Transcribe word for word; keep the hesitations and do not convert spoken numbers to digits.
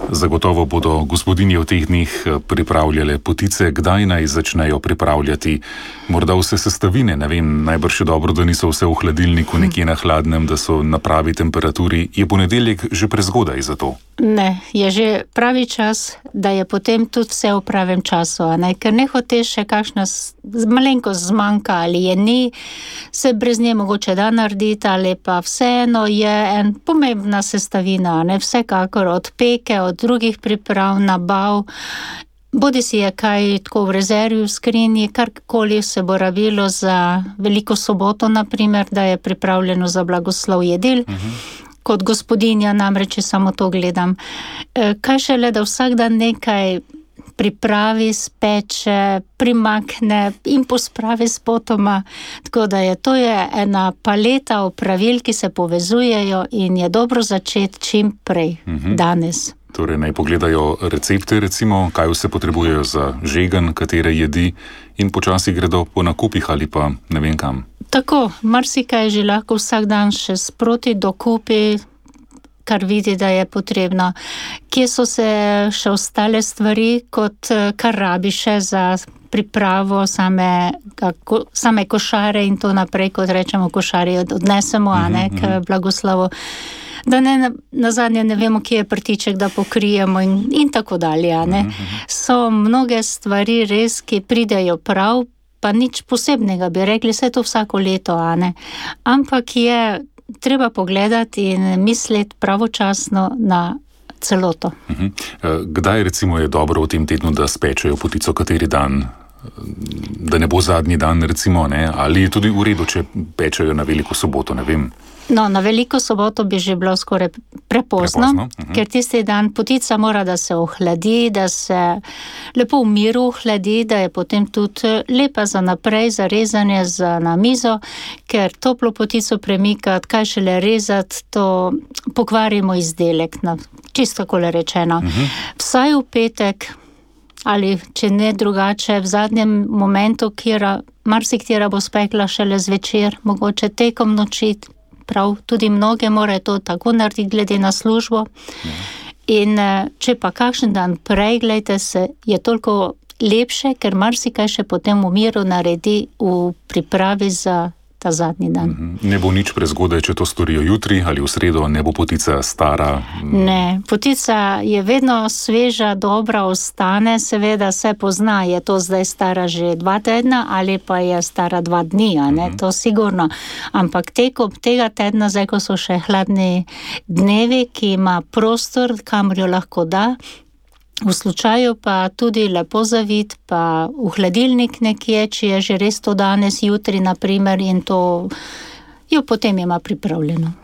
Zagotovo bodo gospodinje v teh dneh pripravljale potice. Kdaj naj začnejo pripravljati morda vse sestavine? Ne vem, najbrž je dobro, da niso vse v hladilniku nekje na hladnem, da so na pravi temperaturi. Je ponedeljek že prezgodaj za to? Ne, je že pravi čas, da je potem tudi vse v pravem času, a ne? Ker ne hoteš še kakšna malenkost zmanjka ali je ni, se brez nje mogoče da narediti, ali pa vseeno je en pomembna sestavina, ne? Vsekakor od peke, od drugih priprav, nabav, bodi si je kaj tako v rezervi v skrinji, karkoli se bo rabilo za Veliko soboto, naprimer, da je pripravljeno za blagoslov jedil. Uh-huh. Kot gospodinja namreč samo to gledam. Kaj šele, da vsak dan nekaj pripravi, speče, primakne in pospravi s potoma. Tako da je to je ena paleta opravil, ki se povezujejo in je dobro začeti čim prej, uh-huh. danes. Torej naj pogledajo recepte, recimo, kaj vse potrebujejo za žegen, katere jedi in počasi gredo po nakupih ali pa ne vem kam. Tako, marsikaj že lahko vsak dan še sproti dokupi, kar vidi, da je potrebno. Kje so se še ostale stvari, kot kar rabi še za pripravo same, kako, same košare in to naprej, kot rečemo, košari odnesemo, a ne, k blagoslovu. Da ne, na, na zadnje ne vemo, kje je prtiček, da pokrijemo in, in tako dalje, a ne. So mnoge stvari res, ki pridejo prav, pa nič posebnega, bi rekli, vse to vsako leto, a ne. Ampak je treba pogledati in misliti pravočasno na celoto. Kdaj recimo je dobro v tem tednu, da spečejo potico, kateri dan? Da ne bo zadnji dan, recimo, ne? Ali je tudi v redu, če pečejo na Veliko soboto, ne vem. No, na Veliko soboto bi že bilo skoraj prepozno, prepozno. Uh-huh. Ker tisti dan potica mora, da se ohladi, da se lepo v miru ohladi, da je potem tudi lepa za naprej, za rezanje, za na mizo, ker toplo potico premikati, kaj šele rezati, to pokvarimo izdelek, na, čisto takole rečeno. Uh-huh. Vsaj v petek, ali če ne drugače, v zadnjem momentu, kjera marsiktera bo spekla šele zvečer, mogoče tekom noči, prav, tudi mnoge morajo to tako narediti glede na službo. Ja. In če pa kakšen dan prej, gledajte se, je toliko lepše, ker marsikaj še potem v miru naredi v pripravi za ta zadnji dan. Ne bo nič prezgodaj, če to storijo jutri ali v sredo, ne bo potica stara? Ne, potica je vedno sveža, dobra, ostane, seveda se pozna, je to zdaj stara že dva tedna ali pa je stara dva dni, a ne, uh-huh. to sigurno. Ampak tekom tega tedna, zdaj ko so še hladni dnevi, ki ima prostor, kamor jo lahko da, v slučaju pa tudi lepo zavit, pa v hladilnik nekje, či je že res to danes, jutri, naprimer, in to jo potem ima pripravljeno.